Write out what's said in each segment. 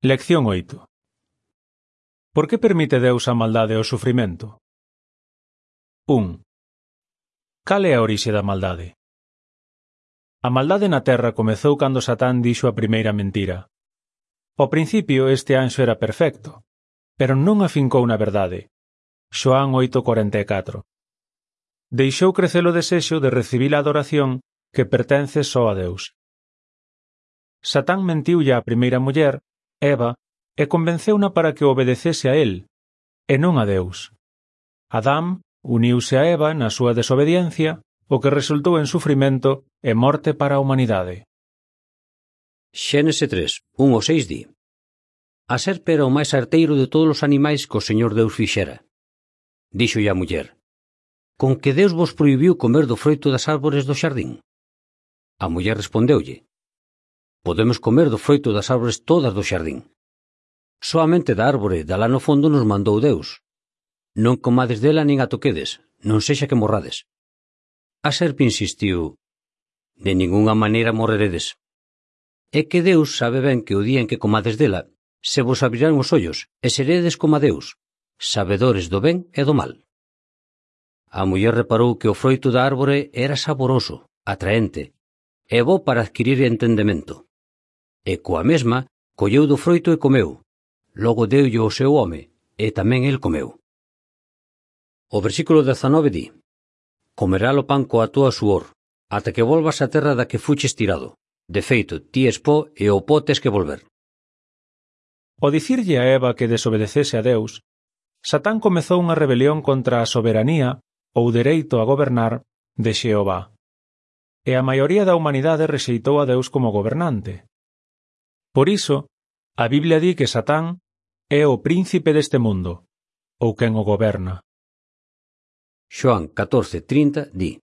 Lección 8. Por que permite Deus a maldade e o sufrimento? 1. Cal é a orixe da maldade? A maldade na terra comezou cando Satán dixo a primeira mentira. Ao principio este anxo era perfecto, pero non afincou na verdade. Xoán 8:44. Deixou crecer o desexo de recibir a adoración que pertence só a Deus. Satán mentiulle á primeira muller, Eva, e convenceuna para que obedecese a él, e non a Deus. Adán uniuse a Eva na súa desobediencia, o que resultou en sufrimento e morte para a humanidade. Xénese 3, 1-6 di: A serpe era o máis arteiro de todos os animais que o Señor Deus fixera. Díxolle a muller: Con que Deus vos prohibiu comer do froito das árbores do xardín? A muller respondeulle: Podemos comer do froito das árbores todas do xardín. Soamente da árbore de alá no fondo nos mandou Deus: Non comades dela nin a toquedes, non sexa que morrades. A serpe insistiu: De ningunha maneira morreredes. É que Deus sabe ben que o día en que comades dela, se vos abrirán os ollos e seredes como a Deus, sabedores do ben e do mal. A muller reparou que o froito da árbore era saboroso, atraente, e bo para adquirir entendemento. E coa mesma colleu do froito e comeu. Logo deulle ao seu home, e tamén el comeu. O versículo 19 di: Comerá o pan coa túa suor, ata que volvas á terra da que fuches tirado. De feito, ti es pó e ao pó tes que volver. Ao dicirlle a Eva que desobedecese a Deus, Satán comezou unha rebelión contra a soberanía ou dereito a gobernar de Xehová. E a maioría da humanidade rexeitou a Deus como gobernante. Por iso, a Biblia di que Satán é o príncipe deste mundo, ou quen o goberna. Xoán 14:30 di: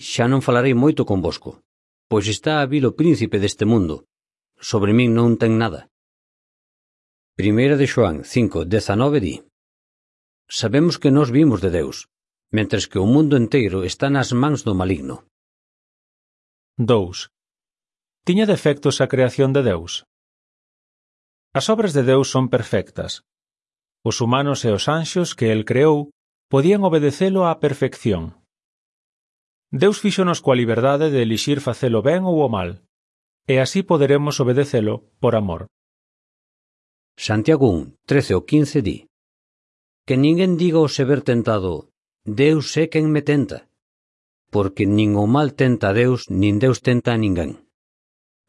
Xa non falarei moito convosco, pois está a vir o príncipe deste mundo. Sobre min non ten nada. Primeira de Xoán 5:19 di: Sabemos que nós vimos de Deus, mentres que o mundo enteiro está nas mans do maligno. 2. Tiña defectos a creación de Deus? As obras de Deus son perfectas. Os humanos e os anxos que el creou podían obedecelo á perfección. Deus fíxonos coa liberdade de elixir facelo ben ou o mal, e así poderemos obedecelo por amor. Santiago 1:13-15 di: Que ninguén diga ao se ver tentado: Deus é quen me tenta, porque nin o mal tenta a Deus, nin Deus tenta a ninguén.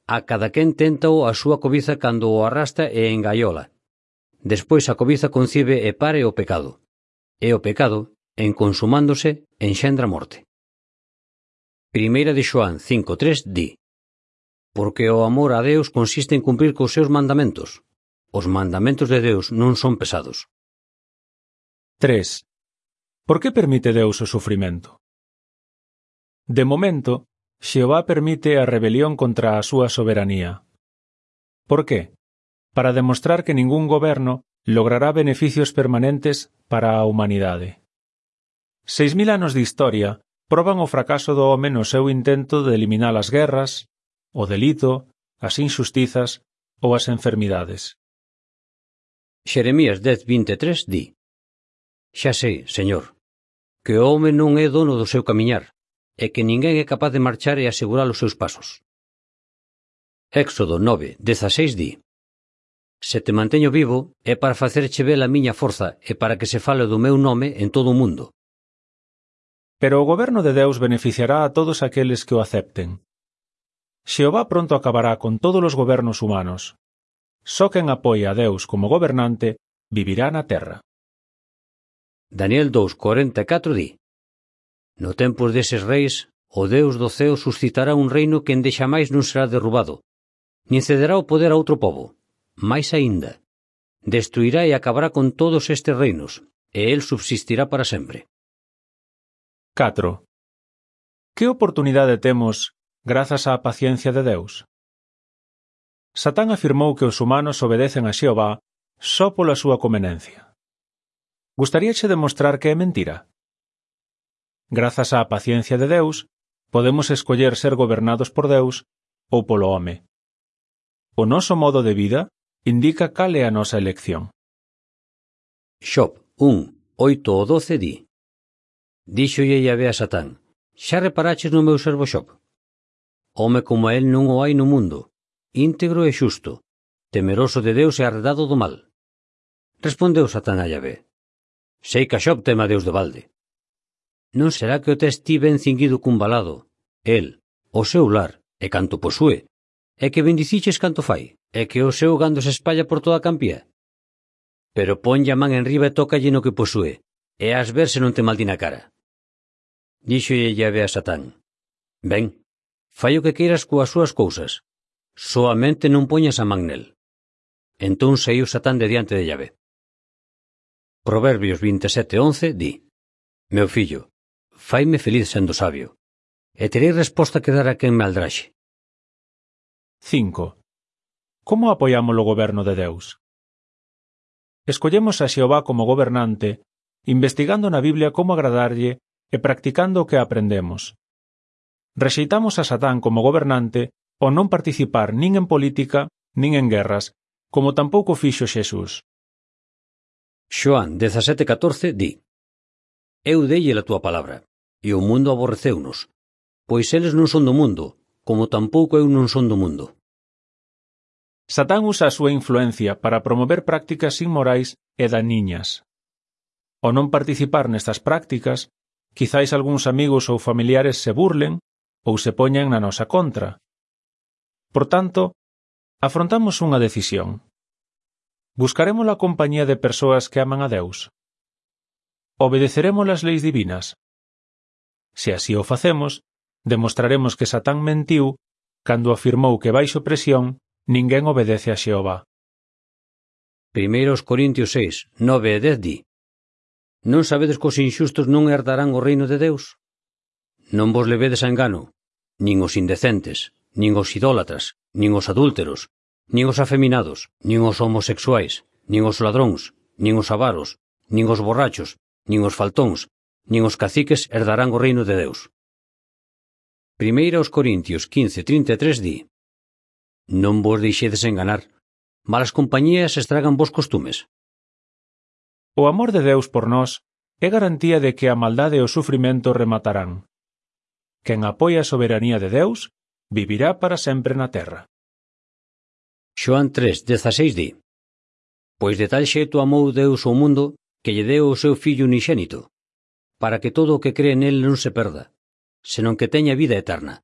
A cada quen tenta-o a súa cobiza cando o arrastra e engaiola. Despois a cobiza concibe e pare o pecado. E o pecado, en consumándose, enxendra morte. Primeira de Xoán 5:3 di: Porque o amor a Deus consiste en cumprir cos seus mandamentos. Os mandamentos de Deus non son pesados. 3. Por que permite Deus o sufrimento? De momento, Xehová permite a rebelión contra a súa soberanía. Por que? Para demostrar que ningún goberno logrará beneficios permanentes para a humanidade. 6.000 anos de historia proban o fracaso do home no seu intento de eliminar as guerras, o delito, as injustizas ou as enfermidades. Xeremías 10:23 di: Xa sei, Señor, que o home non é dono do seu camiñar, e que ninguén é capaz de marchar e asegurar os seus pasos. Éxodo 9:16 di: Se te manteño vivo é para facerche ver a miña forza e para que se fale do meu nome en todo o mundo. Pero o goberno de Deus beneficiará a todos aqueles que o acepten. Xehová pronto acabará con todos os gobernos humanos. Só quen apoia a Deus como gobernante vivirá na terra. Daniel 2:44 di: No tempo deses reis, o Deus do ceo suscitará un reino que ende xamais non será derrubado, nin cederá o poder a outro pobo. Mais aínda, destruirá e acabará con todos estes reinos, e el subsistirá para sempre. 4. Que oportunidade temos grazas á paciencia de Deus? Satán afirmou que os humanos obedecen a Xehová só pola súa conveniencia. Gustaríache demostrar que é mentira? Grazas á paciencia de Deus, podemos escoller ser gobernados por Deus ou polo home. O noso modo de vida indica cal é a nosa elección. Xob 1, 8 ou 12 di: Díxolle Yahvé a Satán: Xa reparaches no meu servo Xob? Home como a él non o hai no mundo, íntegro e xusto, temeroso de Deus e arredado do mal. Respondeu Satán a Yahvé: Sei que a Xob teme a Deus de balde. Non será que o tes ti ben cinguido cun balado, el, o seu lar, e canto posúe, e que bendiciches canto fai, e que o seu gando se espalla por toda a campía? Pero ponlle a man enriba e tócalle no que posúe, e has ver se non te maldi na cara. Díxolle Yahvé a Satán: Ben, fai o que queiras coas súas cousas, soamente non poñas a man nel. Entón saiu Satán de diante de Yahvé. Proverbios 27:11 di: Meu fillo, faime feliz sendo sabio, e terei resposta que dar a quen me aldraxe. 5. Como apoiamos o goberno de Deus? Escollemos a Xehová como gobernante, investigando na Biblia como agradarlle e practicando o que aprendemos. Rexeitamos a Satán como gobernante ao non participar nin en política nin en guerras, como tampouco fixo Xesús. Xoán 17:14 di: Eu deille a túa palabra, e o mundo aborreceunos, pois eles non son do mundo, como tampouco eu non son do mundo. Satán usa a súa influencia para promover prácticas inmorais e daniñas. Ao non participar nestas prácticas, quizáis algúns amigos ou familiares se burlen ou se poñan na nosa contra. Por tanto, afrontamos unha decisión. Buscaremos a compañía de persoas que aman a Deus? Obedeceremos as leis divinas? Se así o facemos, demostraremos que Satán mentiu cando afirmou que baixo presión ninguén obedece a Xehová. 1 Corintios 6, 9 e 10 di: Non sabedes que os inxustos non herdarán o reino de Deus? Non vos levedes a engano, nin os indecentes, nin os idólatras, nin os adúlteros, nin os afeminados, nin os homosexuais, nin os ladróns, nin os avaros, nin os borrachos, nin os faltóns, nin os caciques herdarán o reino de Deus. 1 Corintios 15:33 di: Non vos deixedes enganar, malas compañías estragan vos costumes. O amor de Deus por nós é garantía de que a maldade e o sufrimento rematarán. Quen apoia a soberanía de Deus vivirá para sempre na terra. Xoán 3:16 di: Pois de tal xeito amou Deus ao mundo que lle deu o seu Fillo unixénito, para que todo o que cree nel non se perda, senón que teña vida eterna.